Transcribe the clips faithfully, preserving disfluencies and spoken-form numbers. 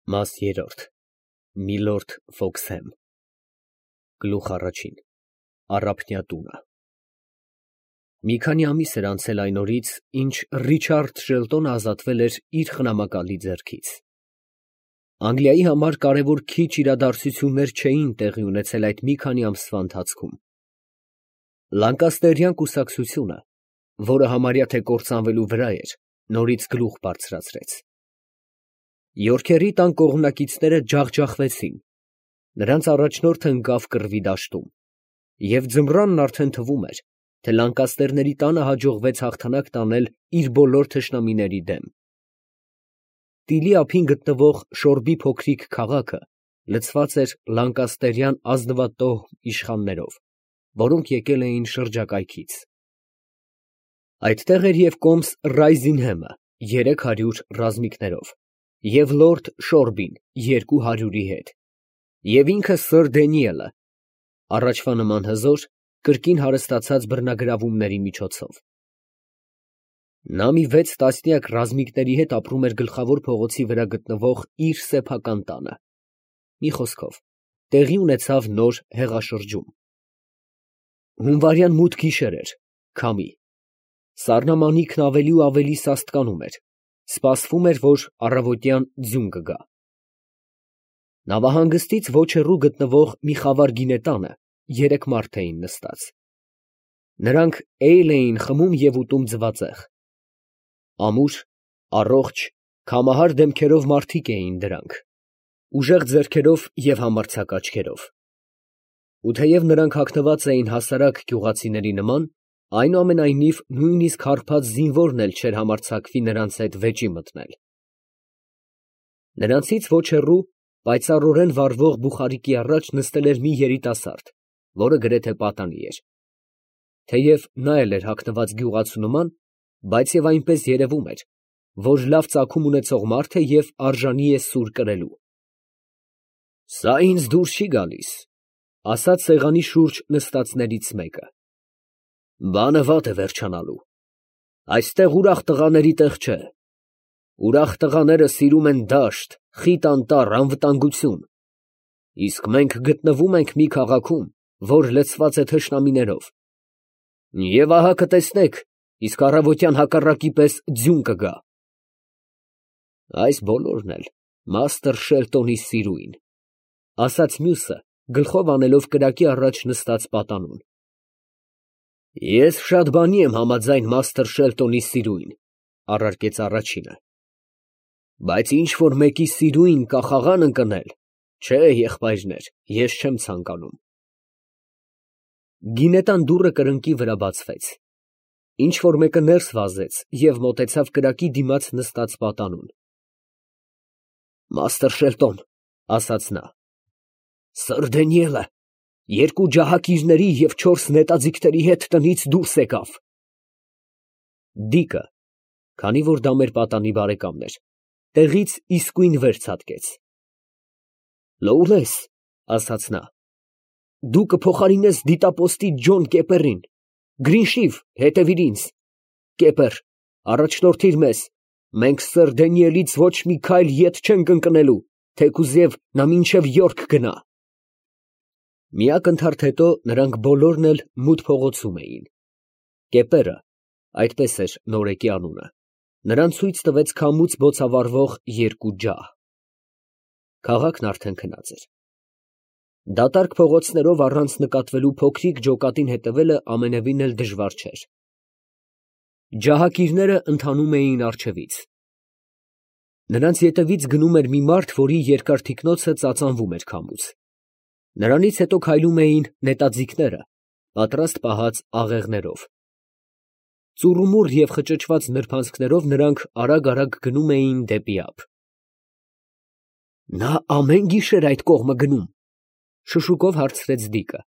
Մաս երրորդ Միլորդ Ֆոքսհեմ Գլուխ առաջին Առափնյա տունը Մի քանի ամիս էր անցել այն օրից, ինչ Ռիչարդ Շելտոնը ազատվել էր իր խնամակալի ձեռքից։ Անգլիայի համար կարևոր քիչ իրադարձություններ չէին տեղի ունեցել այդ մի քանի ամսվա ընթացքում։ Լանկաստերյան կուսակցությունը, որը համարյա թե կործանվելու վրա էր, նորից գլուխ բարձրացրեց։ Յորքերի տան կողմնակիցները ջախջախվեցին, նրանց առաջնորդը ընկավ կռվի դաշտում, և ձմռանն արդեն թվում էր, թե Լանկաստերների տանը հաջողվեց հաղթանակ տանել իր բոլոր թշնամիների դեմ։ Տիլի ափին գտնվող Շորբի փոքրիկ քաղաքը լցված էր լանկաստերյան ազնվատոհ իշխաններով, որոնք եկել էին շրջակայքից։ Այդտեղ էր և կոմս Ռայզինհեմը երեք հարյուր ռազմիկներով, և լորդ Շորբին երկու հարյուրի հետ, և ինքը սըր Դենիելը, առաջվա նման հզոր, կրկին հարստացած բռնագրավումների միջոցով։ Նա մի վեց տասնյակ ռազմիկների հետ ապրում էր գլխավոր փողոցի վրա գտնվող իր սեփական տանը։ Մի խոսքով, տեղի ունեցավ նոր հեղաշրջում։ Հունվարյան մութ գիշեր էր, քամի։ Սառնամանիքն ավելի ու ավելի սաստկանում էր, սպասվում էր, որ առավոտյան ձյուն կգա։ Նավահանգստից ոչ հեռու գտնվող մի խավար գինետանը երեք մարդ էին նստած։ Նրանք էյլ էին խմում և ուտում ձվածեղ։ Ամուր, առողջ, քամահար դեմքերով մարդիկ էին դրանք, ուժեղ ձեռքերով և համարձակ աչքերով։ Ու թեև նրանք հագնված էին հասարակ գյուղացիների նման, այնուամենայնիվ նույնիսկ հարբած զինվորն էլ չէր համարձակվի նրանց հետ վեճի մտնել։ Նրանցից ոչ հեռու, պայծառորեն վառվող բուխարիկի առաջ նստել էր մի երիտասարդ, որը գրեթե պատանի էր։ Թեև նա էլ էր հագնված գյուղացու նման, բայց և այնպես երևում էր, որ լավ ծագում ունեցող մարդ է և արժանի է սուր կրելու։ ֊ Սա ինձ դուր չի գալիս, ֊ ասաց սեղանի շուրջ նստածներից մեկը։ ֊ Բանը վատ է վերջանալու։ Այստեղ ուրախ տղաների տեղ չէ։ Ուրախ տղաները սիրում են դաշտ, խիտ անտառ, անվտանգություն, իսկ մենք գտնվում ենք մի քաղաքում, որ լցված է թշնամիներով։ Եվ ահա կտեսնեք, իսկ առավոտյան հակառակի պես ձյուն կգա։ Այս բոլորն էլ մաստր Շելտոնի սիրույն, ֊ ասաց մյուսը, գլխով անելով կրակի առաջ նստած պատանուն։ ֊ Ես շատ բանի եմ համաձայն մաստր Շելտոնի սիրույն, ֊ առարկեց առաջինը, ֊ բայց ինչ֊որ մեկի սիրույն կախաղան ընկնել, չէ, եղբայրներ, ես չեմ ցանկանում։ Գինետան դուռը կրկնակի վրա բացվեց։ Ինչ֊որ մեկը ներս վազեց և մոտեցավ կրակի դիմաց նստած պատանուն։ ֊ Մաստր Շելտոն, ֊ ասաց նա, ֊ սըր Դենիելը երկու ջահակիրների և չորս նետաձիգների հետ տնից դուրս եկավ։ Դիկը, քանի որ դա մեր պատանի բարեկամն էր, տեղից իսկույն վեր ցատկեց։ ֊ Լոուլես, ֊ ասաց նա, ֊ դու կփոխարինես դիտապոստի Ջոն Կեպերին, Գրինշիվ, հետևիր ինձ, Կեպեր, առաջնորդիր մեզ, մենք սըր Դենիելից ոչ մի քայլ ետ չենք ընկնելու, թեկուզև նա մինչև Յորք գնա։ Մի ակնթարթ հետո նրանք բոլորն էլ մութ փողոցում էին։ Կեպերը, այդպես էր նորեկի անունը, նրան ցույց տվեց քամուց բոցավառվող երկու ջահ։ Քաղաքն արդեն քնած էր։ Դատարկ փողոցներով առանց նկատվելու փոքրիկ ջոկատին հետևելը ամենևին էլ դժվար չէր։ Ջահակիրները ընթանում էին առջևից։ Նրանց ետևից գնում էր մի մարդ, որի երկար թիկնոցը ծածանվում էր քամուց։ Նրանից հետո քայլում էին նետաձիգները, պատրաստ պահած աղեղներով։ Ծուռումուռ և խճճված նրբանցքներով նրանք արագ֊արագ գնում էին դեպի ափ։ Նա ամեն գիշեր այդ կողմը գնում, ֊ շշուկով հարցրեց Դիկը։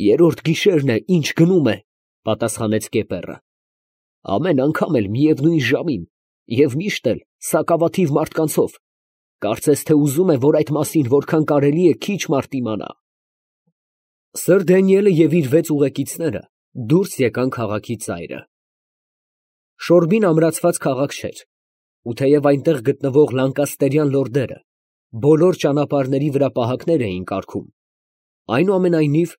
Երրորդ գիշերն է, ինչ գնում է, ֊ պատասխանեց Կեպերը։ Ամեն անգամ էլ միևնույն ժամին և միշտ էլ սակավաթիվ մարդկանցով, կարծես թե ուզում է, որ այդ մասին որքան կարելի է քիչ մարդ իմանա։ Սըր Դենիելը և իր վեց ուղեկիցները դուրս եկան քաղաքի ծայրը։ Շորբին ամրացված քաղաք չէր, ու թեև այնտեղ գտնվող լանկաստերյան լորդերը բոլոր ճանապարհների վրա պահակներ էին կարգում, այնուամենայնիվ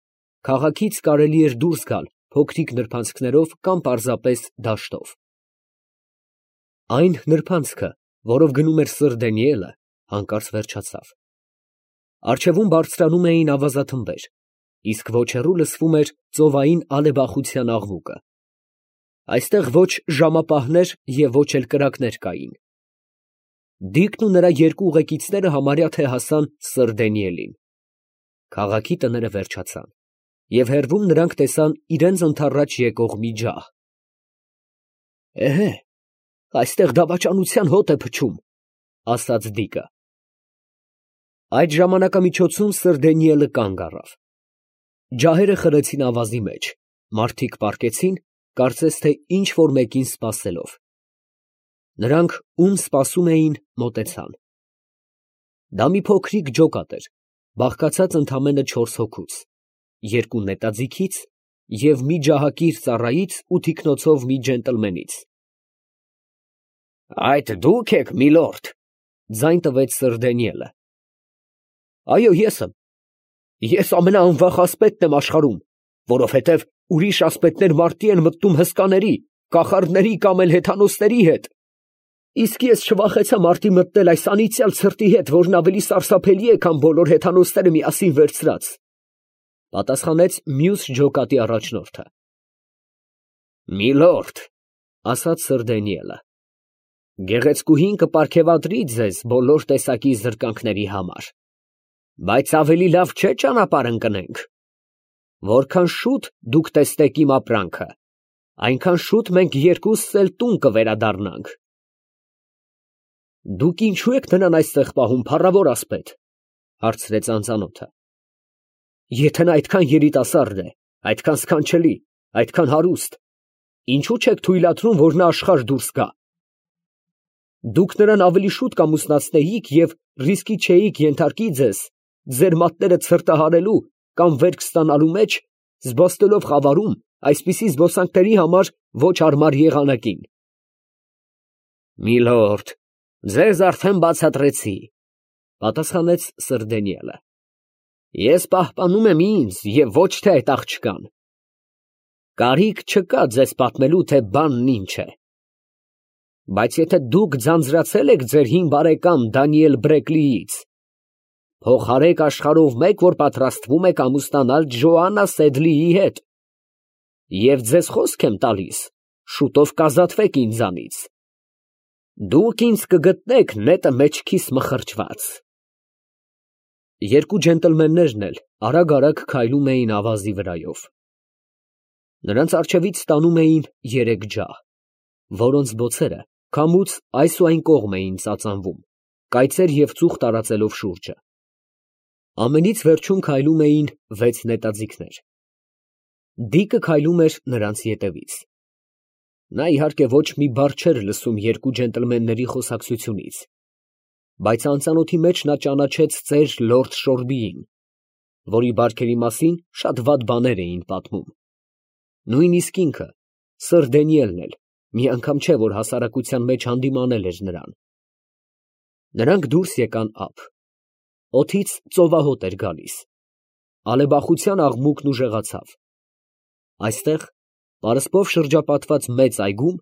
քաղաքից կարելի էր դուրս գալ փոքրիկ նրբանցքներով կամ պարզապես դաշտով։ Այն նրբանցքը, որով գնում էր սըր Դանիելը, հանկարծ վերջացավ։ Առջևում բարձրանում էին ավազաթմբեր, իսկ ոչ հեռու լսվում էր ծովային ալեբախության աղմուկը։ Այստեղ ոչ ժամապահներ և ոչ էլ կրակներ կային։ Դիկն ու նրա երկու ուղեկիցները համարյա թե հասան սըր Դանիելին։ Քաղաքի տները վերջացան, և հեռվում նրանք տեսան իրանց ընդառաջ եկող մի ջահ։ «Էհե, այստեղ դավաճանության հոտ է փչում», ֊ ասաց Դիկը։ Այդ ժամանակամիջոցում սըր Դանիելը կանգ առավ։ Ջահերը խրեցին ավազի մեջ, մարդիկ պառկեցին, կարծես թե ինչ֊որ մեկին սպասելով։ Նրանք, ում սպասում էին, մոտեցան։ Դա մի փոքրիկ ջոկատ էր, բաղկացած ընդամենը չորս հոգուց, երկու նետաձիգից և մի ջահակիր ծառայից ու թիկնոցով մի ջենտլմենից։ ֊ Այդ դու՞ք եք, միլորդ, ֊ ձայն տվեց սըր Դանիելը։ ֊ Այո, ես եմ. ես ամենաանվախ ասպետն եմ աշխարհում, որովհետև ուրիշ ասպետներ մարտի են մտնում հսկաների, կախարդների կամ էլ հեթանոսների հետ, իսկ ես չվախեցա մարտի մտնել այս անիծյալ ցրտի հետ, որն ավելի սարսափելի է, քան բոլոր հեթանոսները միասին վերցրած, ֊ պատասխանեց մյուս ջոկատի առաջնորդը։ ֊ Միլորդ, ֊ ասաց սըր Դանիելը, ֊ գեղեցկուհին կպարգևատրի ձեզ բոլոր տեսակի զրկանքների համար, բայց ավելի լավ չէ՞ ճանապարհ ընկնենք. որքան շուտ դուք տեսնեք իմ ապրանքը, այնքան շուտ մենք երկուսս էլ տուն կվերադառնանք։ ֊ Դուք ինչո՞ւ եք նրան այստեղ պահում, փառավոր ասպետ, ֊ հարցրեց անծանոթը։ ֊ Եթե նա այդքան երիտասարդ է, այդքան սքանչելի, այդքան հարուստ, ինչո՞ւ չեք թույլատրում, որ նա աշխարհ դուրս գա։ Դուք նրան ավելի շուտ կամուսնացնեիք և ռիսկի չէիք ենթարկի ձեզ ձեր մատները ցրտահարելու կամ վերք ստանալու մեջ, զբոսնելով խավարում այսպիսի զբոսանքների համար ոչ հարմար եղանակին։ ֊ Միլորդ, ձեզ արդեն բացատրեցի, ֊ պատասխանեց սըր Դանիելը. ես պահպանում եմ ինձ և ոչ թե այդ աղջկան։ Կարիք չկա ձեզ պատմելու, թե բանն ինչ է։ Բայց եթե դուք ձանձրացել եք ձեր հին բարեկամ Դանիել Բրեքլիից, փոխարեք աշխարհով մեկ, որ պատրաստվում եք ամուսնանալ Ջոաննա Սեդլիի հետ, և ձեզ խոսք եմ տալիս, շուտով կազատվեք ինձանից. դուք ինձ կգտնեք նետը մեջքիս մխրճված։ Երկու ջենտլմեններն էլ արագ֊արագ քայլում էին ավազի վրայով։ Նրանց առջևից ստանում էին երեք ջահ, որոնց բոցերը քամուց այս ու այն կողմ էին ծածանվում, կայծեր և ծուխ տարածելով շուրջը։ Ամենից վերջում քայլում էին վեց նետաձիգներ։ Դիկը քայլում էր նրանց ետևից։ Նա, իհարկե, ոչ մի բառ չէր լսում երկու ջենտլմենների խոսակցությունից, բայց անծանոթի մեջ նա ճանաչեց ծեր լորդ Շորբիին, որի բարքերի մասին շատ վատ բաներ էին պատմում։ Նույնիսկ ինքը, սըր Դանիելն էլ մի անգամ չէ, որ հասարակության մեջ հանդիմանել էր նրան։ Նրանք դուրս եկան ափ։ Օդից ծովահոտ էր գալիս։ Ալեբախության աղմուկն ուժեղացավ։ Այստեղ, պարսպով շրջապատված մեծ այգում,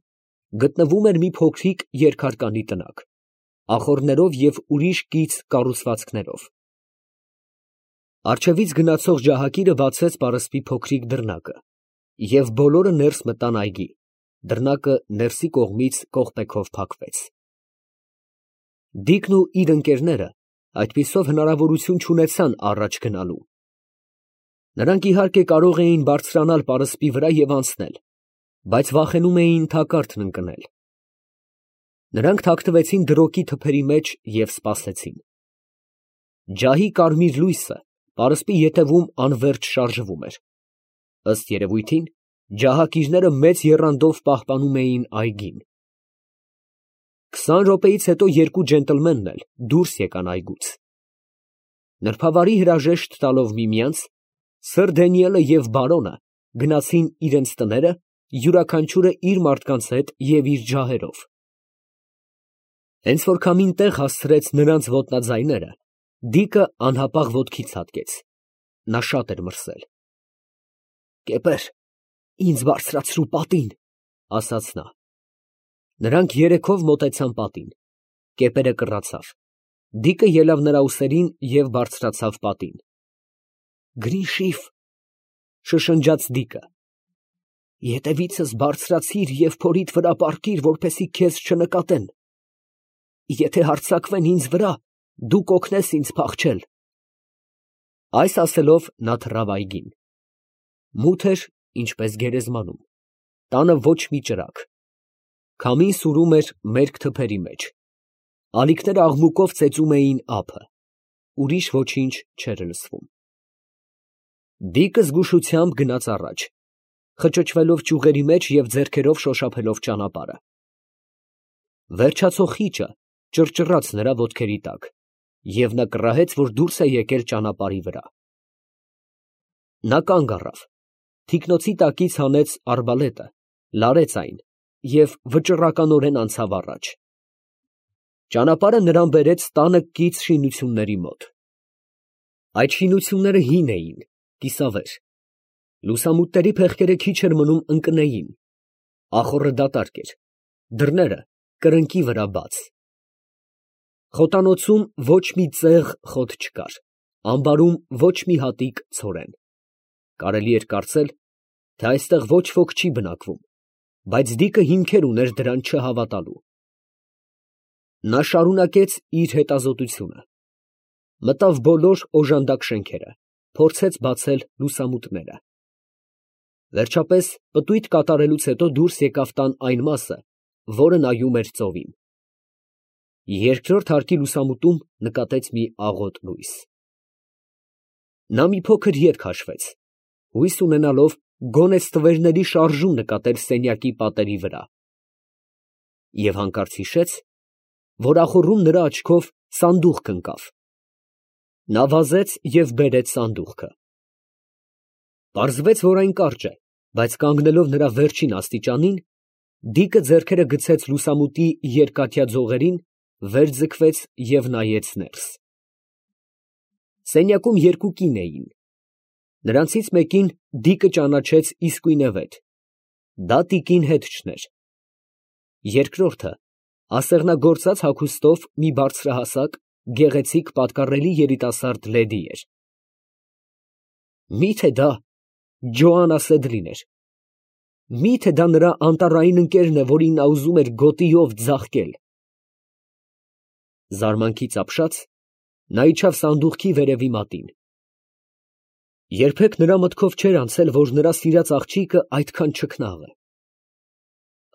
գտնվում էր մի փոքրիկ երկհարկանի տնակ, ախոռներով և ուրիշ կից կառուցվածքներով։ Առջևից գնացող ջահակիրը բացեց պարսպի փոքրիկ դռնակը, և բոլորը ներս մտան այգի, դռնակը ներսի կողմից կողպեքով փակվեց։ Դիկն ու իր ընկերները այդպիսով հնարավորություն չունեցան առաջ գնալու։ Նրանք, իհարկե, կարող էին բարձրանալ պարսպի վրա և անցնել, բայց վախենում էին թակարդն ընկնել։ Նրանք թաքնվեցին դրոգի թփերի մեջ և սպասեցին։ Ջահի կարմիր լույսը պարսպի ետևում անվերջ շարժվում էր։ Ըստ երևույթին, ջահակիրները մեծ եռանդով պահպանում էին այգին։ Քսան րոպեից հետո երկու ջենտլմենն էլ դուրս եկան այգուց։ Նրբավարի հրաժեշտ տալով միմյանց, սըր Դանիելը և բարոնը գնացին իրենց տները, յուրաքանչյուրը իր մարդկանց հետ և իր ջահերով։ Հենց որ քամին տեղ հասցրեց նրանց ոտնաձայները, Դիկը անհապաղ ոտքից հատկեց. նա շատ էր մրսել։ «Կեպեր, ինձ բարձրացրու պատին», ասաց նա։ Նրանք երեքով մոտեցան պատին։ Կեպերը կռացավ։ Դիկը ելավ նրա ուսերին և բարձրացավ պատին։ «Գրիշիվ», շշնջաց Դիկը, «ետևիցս բարձրացիր և փորիդ վրա պառկիր, որպեսզի քեզ չնկատեն։ Եթե հարձակվեն ինձ վրա, դու կօգնես ինձ փախչել»։ Այս ասելով նա թռավ այգին։ Մութ էր, ինչպես գերեզմանում, տանը ոչ մի ճրագ։ Քամին սուրում էր մերկ թփերի մեջ։ Ալիքները աղմուկով ծեծում էին ափը։ Ուրիշ ոչինչ չէր լսվում։ Դիկը զգուշությամբ գնաց առաջ, խճճվելով ճյուղերի մեջ և ձեռքերով շոշափելով ճանապարհը։ Վերջացող խիճը ճռճռաց նրա ոտքերի տակ, և նա կռահեց, որ դուրս է եկել ճանապարհի վրա։ Նա կանգ առավ, թիկնոցի տակից հանեց արբալետը, լարեց այն և վճռականորեն անցավ առաջ։ Ճանապարհը նրան բերեց տանը կից շինությունների մոտ։ Այդ շինությունները հին էին, կիսավեր։ Լուսամուտների փեղկերը քիչ էր մնում ընկնեին։ Ախոռը դատարկ էր, դռները կրկնակի վրա բաց։ Խոտանոցում ոչ մի ծեղ խոտ չկար, ամբարում ոչ մի հատիկ ցորեն։ Կարելի էր կարծել, թե այստեղ ոչ ոք չի բնակվում, բայց Դիկը հիմքեր ուներ դրան չհավատալու։ Նա շարունակեց իր հետազոտությունը։ Մտավ բոլոր օժանդակ շենքերը, փորձեց բացել լուսամուտները։ Վերջապես, պտույտ կատարելուց հետո դուրս եկավ տան այն մասը, որը նայում էր ծովին։ Երկրորդ հարկի լուսամուտում նկատեց մի աղոտ լույս։ Նա մի փոքր ետ քաշվեց, հույս ունենալով գոնե ստվերների շարժում նկատել սենյակի պատերի վրա, և հանկարծ հիշեց, որ ախոռում նրա աչքով սանդուղք ընկավ։ Նա վազեց և բերեց սանդուղքը։ Պարզվեց, որ այն կարճ է, բայց կանգնելով նրա վերջին աստիճանին, Դիկը ձեռքերը գցեց լուսամուտի երկաթյա ձողերին, վեր ձգվեց և նայեց ներս։ Սենյակում երկու կին էին։ Նրանցից մեկին Դիկը ճանաչեց իսկույնևեթ, դա տիկին Հետչն էր։ Երկրորդը ասեղնագործած հագուստով մի բարձրահասակ, գեղեցիկ, պատկառելի երիտասարդ լեդի էր։ Մի՞թե դա Ջոանա Սեդլին էր։ Մի՞թե դա նրա անտառային ընկերն է, որին նա ուզում էր գոտիով ձաղկել։ Զարմանքից ապշած, նա իջավ սանդուղքի վերևի մատին։ Երբեք նրա մտքով չէր անցել, որ նրա սիրած աղջիկը այդքան չքնաղ է։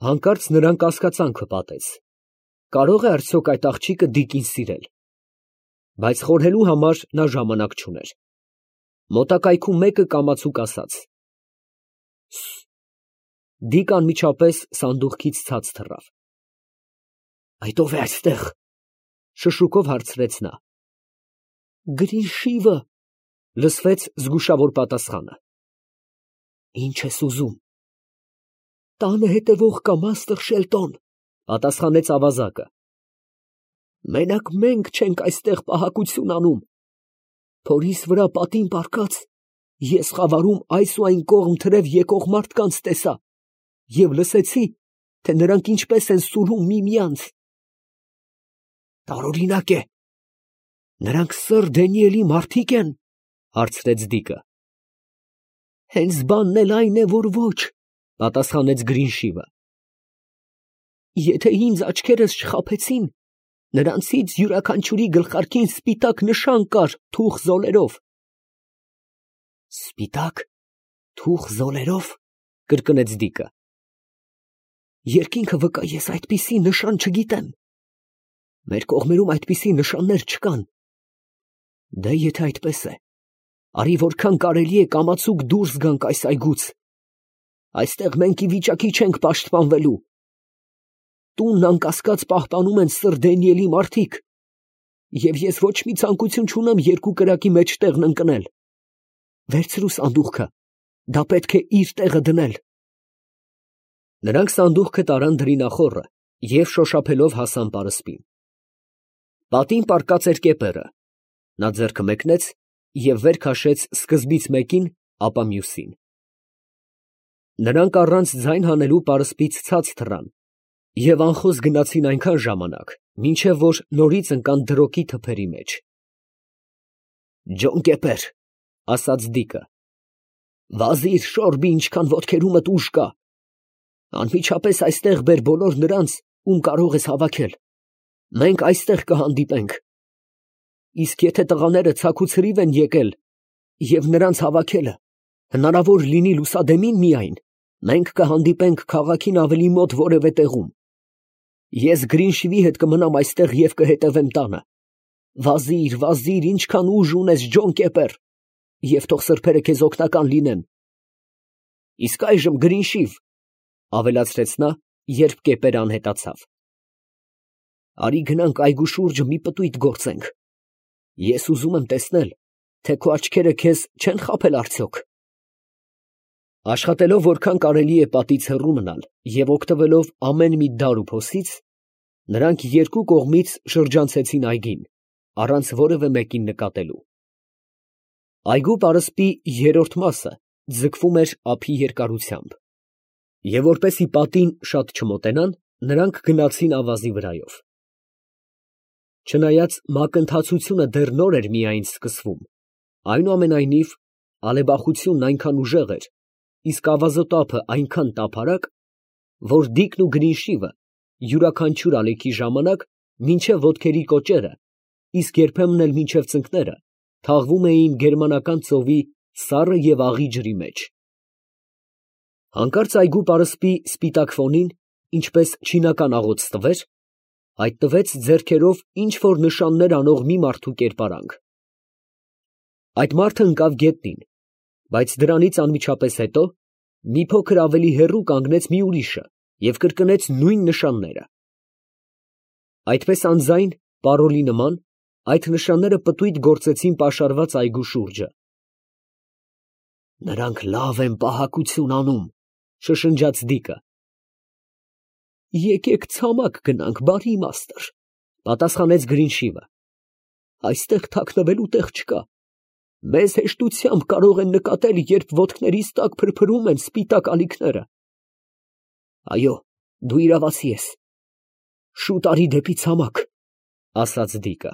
Հանկարծ նրան կասկածանքը պատեց. կարո՞ղ է արդյոք այդ աղջիկը Դիկին սիրել։ Բայց խորհելու համար նա ժամանակ չուներ։ Մոտակայքում մեկը կամացուկ ասաց. «Սս»։ Դիկը անմիջապես սանդուղքից ցած թռավ։ «Այդ ո՞վ է այստեղ», շշուկով հարցրեց նա։ «Գրիշիվը», լսվեց զգուշավոր պատասխանը։ «Ինչ ես ուզում»։ «Տանը հետևող կա, մաստր Շելտոն», պատասխանեց ավազակը։ «Մենակ մենք չենք այստեղ պահակություն անում։ Փորիս վրա պատին պառկած, ես խավարում այս ու այն կողմ թրև եկող մարդկանց տեսա և լսեցի, թե նրանք ինչպես են սուրում միմյանց»։ «Տարօրինակ է, նրանք սըր Դանիելի մարդի՞կ են», հարցրեց Դիկը։ «Հենց բանն էլ այն է, որ ոչ», պատասխանեց Գրինշիվը։ «Եթե ինձ աչքերս չխաբեցին, նրանցից յուրաքանչյուրի գլխարկին սպիտակ նշան կար թուխ զոլերով»։ «Սպիտակ թուխ զոլերով», կրկնեց Դիկը։ «Երկինքը վկա, ես այդպիսի նշան չգիտեմ։ Մեր կողմերում այդպիսի նշաններ չկան։ Դե եթե այդպես է, արի որքան կարելի է կամացուկ դուրս գանք այս այգուց։ Այստեղ մենք ի վիճակի չենք պաշտպանվելու։ Տունն անկասկած պահպանում են սըր Դանիելի մարդիկ, և ես ոչ մի ցանկություն չունեմ երկու կրակի մեջտեղն ընկնել։ Վերցրու սանդուղքը, դա պետք է իր տեղը դնել»։ Նրանք սանդուղքը տարան դրինախոռը և շոշափելով հասան պարսպին։ Պատին պառկած էր կեպերը, նա ձեռքը մեկնեց և վեր քաշեց սկզբից մեկին, ապա մյուսին. նրանք առանց ձայն հանելու պարսպից ցած թռան և անխոս գնացին այնքան ժամանակ, մինչև որ նորից ընկան դրոկի թփերի մեջ։ «Ջոն կեպեր, ֊ ասաց Դիկը, ֊ վազիր, շորբի, ինչքան ոտքերումդ ուժ կա, անմիջապես այստեղ բեր բոլոր նրանց, ում կարող ես հավաքել, մենք այստեղ կհանդիպենք, իսկ եթե տղաները ցաքուցրիվ են եկել և նրանց հավաքելը հնարավոր լինի լուսադեմին միայն, մենք կհանդիպենք քաղաքին ավելի մոտ որևէ տեղում, ես Գրինշվի հետ կմնամ այստեղ և կհետևեմ տանը, վազիր, վազիր, ինչքան ուժ ունես, Ջոն կեպեր, և թող սրբերը քեզ օգնական լինեն, իսկ այժմ Գրինշիվ, ֊ ավելացրեց նա, երբ կեպերը անհետացավ, արի գնանք այգու շուրջը մի պտույտ գործենք, ես ուզում եմ տեսնել, թե քո աչքերը քեզ չեն խաբել արդյոք։ Աշխատելով որքան կարելի է պատից հեռու մնալ և օգտվելով ամեն մի դար ու փոսից, նրանք երկու կողմից շրջանցեցին այգին, առանց որևէ մեկին նկատելու։ Այգու պարսպի երրորդ մասը ձգվում էր ափի երկարությամբ, և որպեսզի պատին շատ չմոտենան, նրանք գնացին ավազի վրայով։ Չնայած մակընթացությունը դեռ նոր էր միայն սկսվում, այնուամենայնիվ ալեբախությունն այնքան ուժեղ էր, իսկ ավազոտափը այնքան տափարակ, որ Դիկն ու Գրինշիվը յուրաքանչյուր ալեքի ժամանակ մինչև ոտքերի կոճերը, իսկ երբեմն էլ մինչև ծնկները, թաղվում էին գերմանական ծովի սառը և աղի ջրի մեջ։ Հանկարծ այգու պարսպի սպիտակ ֆոնին, ինչպես չինական աղոց ստվեր, հայտնվեց ձեռքերով ինչ որ նշաններ անող մի մարդու կերպարանք։ Այդ մարդը ընկավ գետնին, բայց դրանից անմիջապես հետո մի փոքր ավելի հեռու կանգնեց մի ուրիշը և կրկնեց նույն նշանները։ Այդպես անձայն, պարոլի նման, այդ նշանները պտույտ գործեցին պաշարված այգու շուրջը։ «Նրանք լավ են պահակություն անում, ֊ շշնջաց Դիկը։ ֊ Եկեք ցամաք գնանք, բարի մաստր, ֊ պատասխանեց Գրինշիվը, ֊ այստեղ թաքնվելու տեղ չկա, մեզ հեշտությամբ կարող են նկատել, երբ ոտքներիս տակ փրփրում են սպիտակ ալիքները։ Այո, դու իրավացի ես, շուտ արի դեպի ցամաք, ֊ ասաց Դիկը։